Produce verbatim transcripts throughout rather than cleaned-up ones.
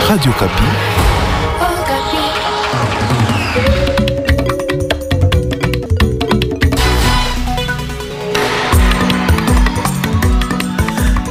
Radio Okapi.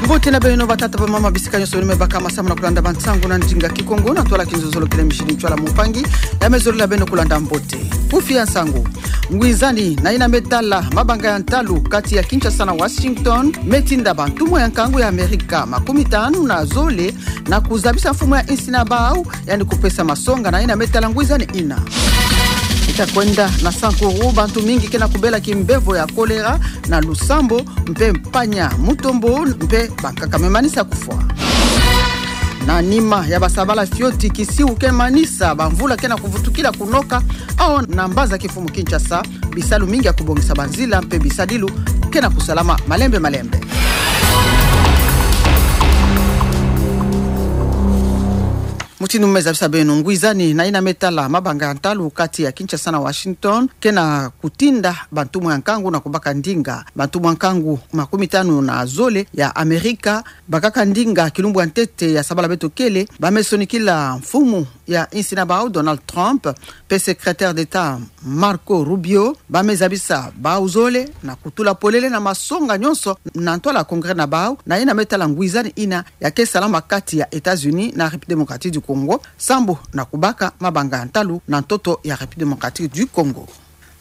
Mbote na beno batata, bamama, bisika nyonso beno me bakama samu na kulanda bansangu na ndinga Kikongo na twala kinzonzolo, kele mishini ntwala mumpangi ya me zolila beno kulanda mbote. Kufi ya nsangu. Ngwizani na yina me tala mabanga ya ntalu kati ya Kinshasa na Washington me tinda bantumwa ya nkangu ya Amerika makumi tanu na zole na kuzabisa mfumu ya insi na bau, yandi kupesa masonga na yina me tala ngwizani yina. Ita kwenda na Sankuru, bantu mingi ke na kubela kimbevo ya kolera na lusambo, mpe mpanya mutombo, mpe bankaka me manisa kufwa. Na nima ya basabala fioti, kisiu ke manisa bamvula ke na kuvutukila kunoka, au na mbanza kifumu Kinshasa, bisalu mingi ya kubongisa banzila mpe bisadilu ke na kusalama malembe malembe. Mutindu mu me zabisa beno, ngwizani na yina me tala mabanga ya ntalu kati ya Kinshasa na Washington ke na kutinda bantumwa ya nkangu na kubaka ndinga. Bantumwa ya nkangu makumi tanu na zole ya Amerika bakaka ndinga kilumbu ya ntete ya sabala beto kele, ba me sonikila mfumu ya insi na bau Donald Trump mpe secrétaire d'État Marco Rubio, ba me zabisa bau zole na kutula polele na masonga nyonso na ntwala congrès na bau na yina me tala ngwizani yina ya ke salama kati ya États-Unis na République Démocratique du Congo, sambu na kubaka mabanga ya ntalu na ntoto ya République Démocratique du Congo.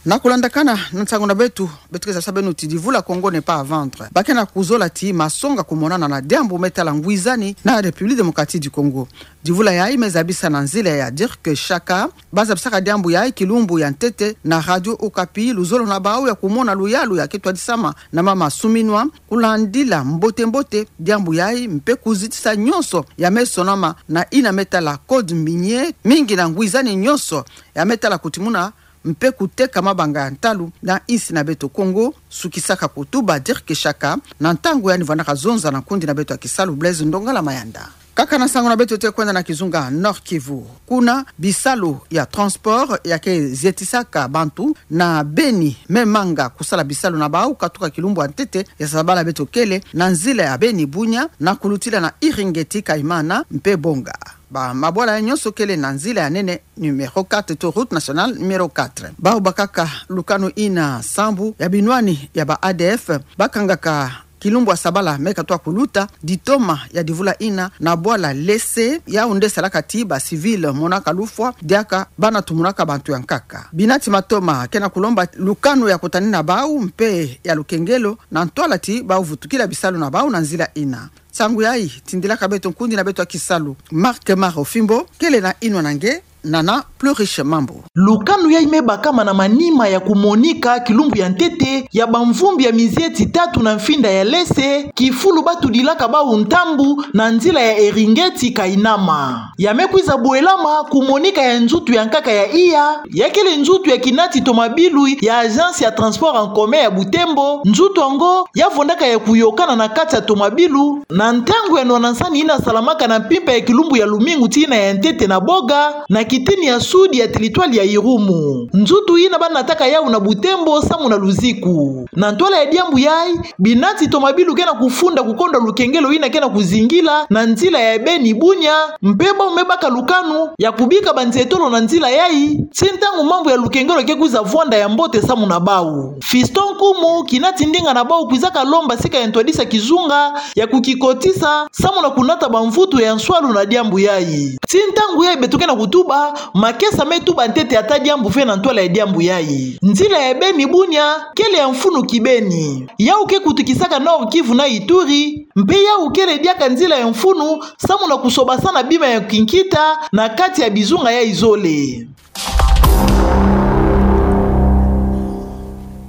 Na kulandakana na nsangu na beto, beto ke zabisa beno ti divula Congo n'est pas à vendre. Ba ke na kuzola ti masonga kumonana na diambu me tala ngwizani na République Démocratique du Congo. Divula yayi me zabisa na nzila ya Dirk Shaka. Ba zabisaka diambu yayi kilumbu ya ntete na Radio Okapi, luzolo na bau ya kumona luyalu ya ke twadisama na mama Suminwa, kulandila mbote mbote diambu yayi mpe kuzitisa nyonso ya me sonama na yina me tala code minier, mingi na ngwizani nyonso ya me tala kutimuna mpe kuteka mabanga ya ntalu na insi na beto Congo, sukisaka kutuba Dirk Shaka na ntangu yandi vandaka zonza na nkundi na beto ya kisalu Blaise Ndongala Mayanda. Kaka na nsangu na beto, te kwenda na kizunga Nord-Kivu. Kuna bisalu ya transport ya ke zietisaka bantu na Beni me manga kusala bisalu na bau katuka kilumbu ya ntete ya sabala beto kele na nzila ya Beni-Bunia na kulutila na Iringeti-Kaimana mpe Bonga. Ba mabwala ya nyonso kele na nzila ya nene numéro quatre to route nationale numéro quatre. Bau bakaka lukanu yina sambu ya binwani ya ba A D F bakangaka kilumbu ya sabala me katuka kuluta, ditoma ya divula yina na bwala Lese, yau nde salaka ti ba civil monaka lufwa diaka bana tumunaka bantu ya nkaka. Binati matoma ke na kulomba lukanu ya kutanina bau mpe ya lukengelo na ntwala ti bau vutukila bisalu na bau na nzila yina. Nsangu yayi tindilaka beto nkundi na beto ya kisalu Marc Maro Fimbo, kele na yinwa na nge Nana Plurish Mambu. Lukanu yayi me bakama na manima ya kumonika kilumbu ya ntete ya bamvumbi ya mizieti tatu na mfinda ya Lese, kifulu ba tudilaka bau ntambu na nzila ya Eringeti-Kainama. Ya me kwiza bwelama kumonika ya nzutu ya nkaka ya iya, ya kele nzutu ya kinati tomabilu ya Agence ya Transport en Commun ya Butembo. Nzutu yango ya vondaka ya kuyokana na kati ya tomabilu na ntangu ya nwana-nsani yina salamaka na mpimpa ya kilumbu ya lumingu tii na ya ntete na Boga, na kitini ya sud ya territoire ya Irumu. Nzutu yina ba nataka yau na Butembo samu na luziku. Na ntwala ya diambu yayi, binati tomabilu ke na kufunda kukondwa lukengelo yina ke na kuzingila na nzila ya Beni-Bunia, mpe bau me baka lukanu ya kubika banzietolo na nzila yayi, tii ntangu mambu ya lukengelo ke kwiza vwanda ya mbote samu na bau. Fiston Nkumu, kinati ndinga na bau, kwizaka lomba sika ya ntwadisa kizunga ya kukikotisa samu na kunata bamvutu ya nswalu na diambu yayi. Tii ntangu yayi beto ke na kutuba, makesa me tuba ntete ata diambu ve na ntwala ya diambu yayi. Nzila ya Beni-Bunia kele ya mfunu kibeni. Yau ke kutukisaka Nord-Kivu na Ituri, mpe yau kele diaka nzila ya mfunu samu na kusobasana bima ya kinkita na kati ya bizunga yayi zole.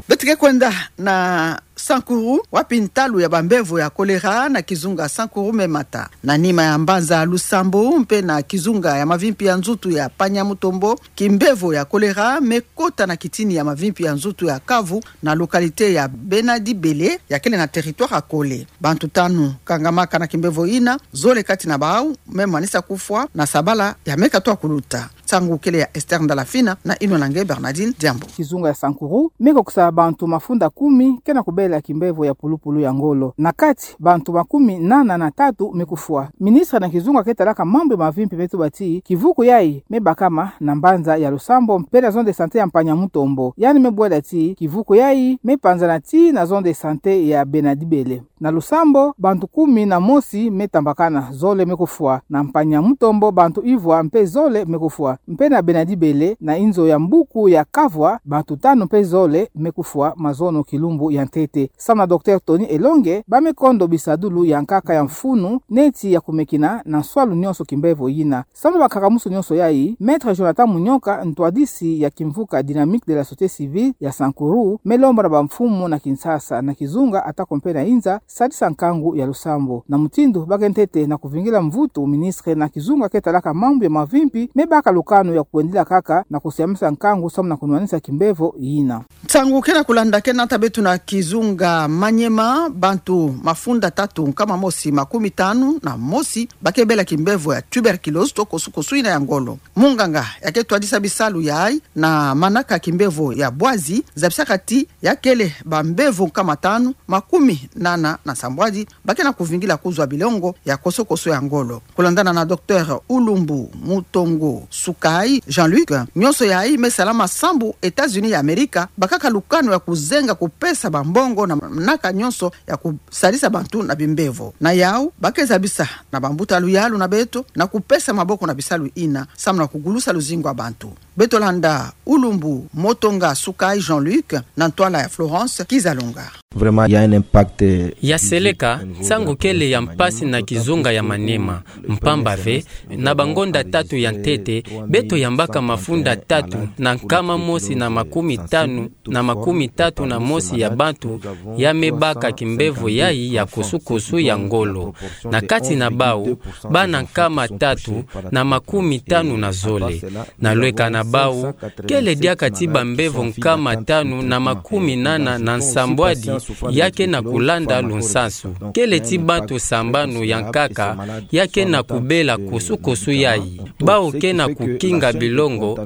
Beto ke kwenda na Sankuru, wapi ntalu ya bambevo ya kolera na kizunga Sankuru me mata. Na nima ya mbanza Lusambo mpe na kizunga ya mavimpi ya nzutu ya Panya-Mutombo, kimbevo ya kolera me kota na kitini ya mavimpi ya nzutu ya Kavu, na localité ya Bena-Dibele, ya kele na territoire ya Kole. Bantu tanu kangamaka na kimbevo yina, zole kati na bau me manisa kufwa na sabala ya me katuka kuluta. ntangu kele ya Esther Ndalafina na inwa na nge Bernardine Diambu. Kizunga ya Sankuru me kokisa bantu mafunda kumi ke na kubela kimbevo ya pulupulu ya ngolo. Na kati, bantu makumi nana na tatu me kufwa. Ministre na kizunga ke talaka mambu ya mavimpi me tuba ti kivuku yayi me bakama na mbanza ya Lusambo mpe na zone de santé ya Mpanya Mutombo. Yandi me bwela ti kivuku yayi me panzana tii na zone de santé ya Bena Dibele. Na Lusambo, bantu kumi na mosi me tambakana, zole me kufwa. Na Mpanya Mutombo, bantu ivwa mpe zole me kufwa. Mpe na Bena Dibele, na inzo ya mbuku ya Kavwa, bantu tanu mpe zole me kufwa mazono kilumbu ya ntete. Samu na Docteur Tony Elonge, ba me kondo bisadulu ya nkaka ya mfunu, neti ya kumekina na nswalu nyonso kimbevo yina. Samu na bakakamusu nyonso yayi, Maître Jonathan Munyoka, ntwadisi ya kimvuka Dynamique de la Société Civile ya Sankuru, me lomba na bamfumu na Kinshasa, na kizunga atako mpe na inza, sadisa nkangu ya Lusambo. Na mutindu ba ke ntete na kuvingila mvutu, ministre na kizunga ke talaka mambu ya mavimpi me baka lukanu ya kwendila kaka na kusiamisa nkangu samu na kunwanisa kimbevo yina. Nsangu ke na kulanda ke nata beto na kizunga Maniema, bantu mafunda tatu nkama mosi makumi tanu na mosi ba ke bela kimbevo ya tuberculose to kosukosu yina ya ngolo. Munganga ya ke twadisa bisalu yayi na manaka kimbevo ya bwazi zabisaka ti ya kele bambevo nkama tanu makumi nana na nsambwadi ba ke na kuvingila kuzwa bilongo ya kosokoso ya ngolo. Kulandana na Docteur Ulumbu Mutongo Sukai Jean-Luc, nyonso yayi me salama sambu États-Unis ya Amerika bakaka lukanu ya kuzenga kupesa bambongo na manaka nyonso ya kusadisa bantu na bimbevo. Na yawu, ba ke zabisa na bambuta luyalu na beto na kupesa maboko na bisalu yina samu na kugulusa luzingu ya bantu. Beto landa Ulumbu Mutongo Sukai Jean-Luc na ntwala ya Florence Kizalunga. Vraiment, il y a un impact, euh, physique au niveau de la population. Ya seleka, nsangu kele ya mpasi na kizunga ya Maniema, mpamba ve, na bangonda tatu ya ntete, beto yambaka mafunda tatu na nkama mosi na makumi tanu na makumi tatu na mosi ya bantu ya me baka kimbevo yayi ya kosukosu ya ngolo. Na kati na bawu, bana nkama tatu na makumi tanu na zole. Na lweka na bawu, kele diaka ti bambevo nkama tanu na makumi nana na nsambwadi ya ke na kulanda lunsansu. Kele ti bantu sambanu ya nkaka ya ke na kubela kosukosu yayi. Bawu ke na kukinga bilongo,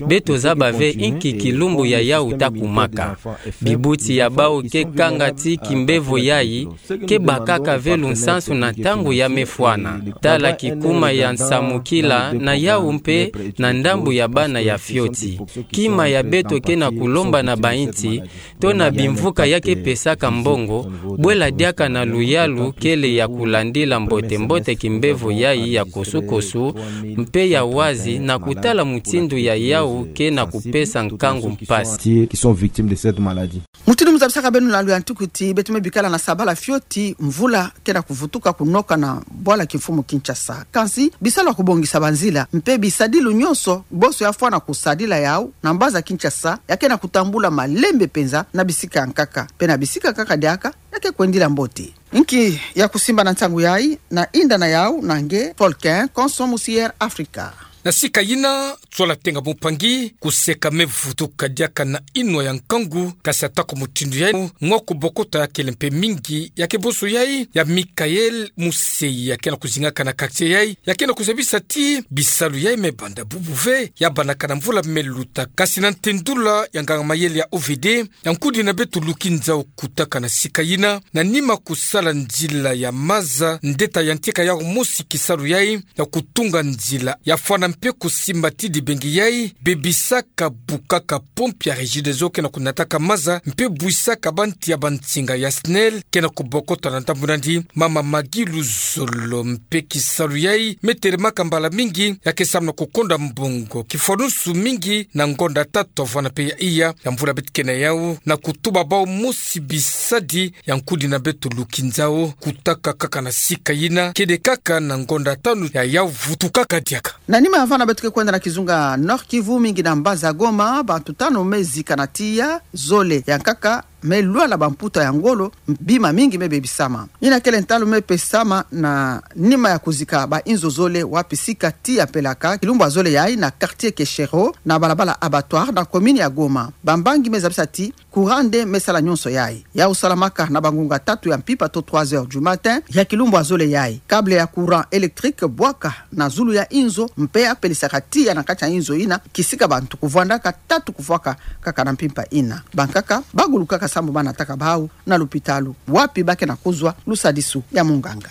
beto zaba ve inki kilumbu ya yawu ta kumaka. Bibuti ya bawu ke kanga ti kimbevo yayi ke bakaka ve lunsansu na ntangu ya me fwana. Tala kikuma ya nsamukila na yawu mpe na ndambu ya bana ya fioti. Kima ya beto ke na kulomba na bainti, to na bimvuka ya ke pesaka mbongo, bwela diaka na luyalu kele ya kulandila mbote-mbote kimbevo yayi ya kosukosu, mpe ya wazi na kutala mutindu ya yawu ke na kupesa nkangu mpasi. Qui sont victimes de cette maladie. Mutindu mu zabisaka beno na luyantiku ti beto me bikala na sabala fioti, mvula ke na kuvutuka kunoka na bwala kimfumu Kinshasa. Kansi, bisalu ya kubongisa banzila mpe bisadilu nyonso bonso ya fwana kusadila yawu na mbanza Kinshasa ya ke na kutambula malembe mpenza na bisika ya nkaka. Mpe na bisika ya nkaka diaka ya ke kwendila mbote. Inki ya kusimba na nsangu yayi, na inda na yawu na nge Volcan Konso musi Air Africa. Na sika yina, Tsola Tenga Mumpangi, kuseka me vutuka diaka na inwa ya nkangu, kasi atako mutindu yayi, mwa kubokota ya kele mpe mingi, ya ke bonso yayi ya Michael Museyi, ya ke na kuzingaka na quartier yayi, ya ke na kuzabisa ti bisalu yayi me banda bubu ve, ya bandaka na mvula me luta. Kasi na ntendula ya nganga-mayele ya O V D, ya nkudina beto luki nzau kutaka na sika yina, na nima kusala nzila ya maza, ndeta yantika yawu mosi kisalu yayi, ya kutunga nzila ya fwana mpe kusimba ti dibengi yayi, bebisaka bukaka pompe ya Regideso ke na kunataka maza, mpe bwisaka banti ya bansinga ya SNEL ke na kubokota na ndambu nandi, mama Maggie Luzolo. Mpe kisalu yayi me telemaka mbala mingi, ya ke samu na kukonda mbongo kifwanusu mingi na ngonda tatu vana mpe ya iya ya mvula beto ke na yawu, na kutuba bawu mosi bisadi, ya nkudina beto luki nzau kutaka kaka na sika yina, kede kaka na ngonda tanu ya yawu vutukaka diaka. Na nima ya vana beto ke kwenda na kizunga Nord-Kivu, mingi na mbanza Goma, bantu tanu me zika na tiya, zole ya nkaka me lwala bamputa ya ngolo, bima mingi me bebisama. Yina kele ntalu me pesama na nima ya kuzika bainzo zole wapi sika tiya pelaka kilumbu ya zole yayi na quartier Keshero, na balabala Abattoir, na commune ya Goma. Bambangi me zabisa ti courant nde me sala nyonso yayi. Ya kusalamaka na bangunga tatu ya mpimpa to trois heures du matin ya kilumbu ya zole yayi. Câble ya courant électrique bwaka na zulu ya inzo, mpe ya pelisaka tiya na kati ya inzo yina, kisika bantu kuvwandaka tatu kufwaka kaka na mpimpa yina. Bankaka bagulukaka sambu banataka bawu na lupitalu, wapi bakena kuzwa lusadisu ya munganga.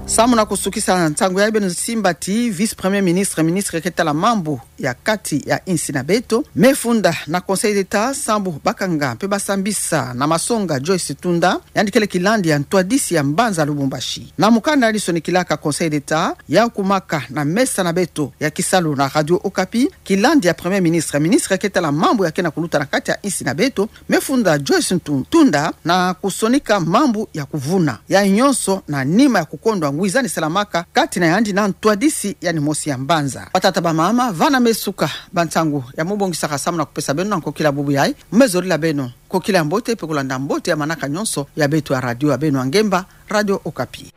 Samu na kusukisa nsangu yayi, beno simba ti vice-premier ministre, ministre keta la mambu ya kati ya insi na beto, me funda na Conseil d'État sambu bakanga mpe basambisa na masonga Joyce Tunda, yandi kele kilandi ya ntwadisi ya mbanza Lubumbashi. Na mukanda yandi sonikilaka Conseil d'État, ya kumaka na mesa na beto ya kisalu na Radio Okapi, kilandi ya Premier Ministre, ministre keta la mambu ya kena kuluta na kati ya insi na beto, me funda Joyce Ntu-, Tunda, na kusonika mambu ya kuvuna. Yayi nyonso na nima ya kukondwa ngwiza ni salamaka kati na yandi na ntwadisi yandi mosi ya mbanza. Batata, bamama, vana me suka ba nsangu ya mubongisaka samu na kupesa beno na nkokila bubu yayi. Me zolila beno nkokila ya mbote mpe kulanda mbote ya manaka nyonso ya beto ya radio ya beno ya ngemba, Radio Okapi.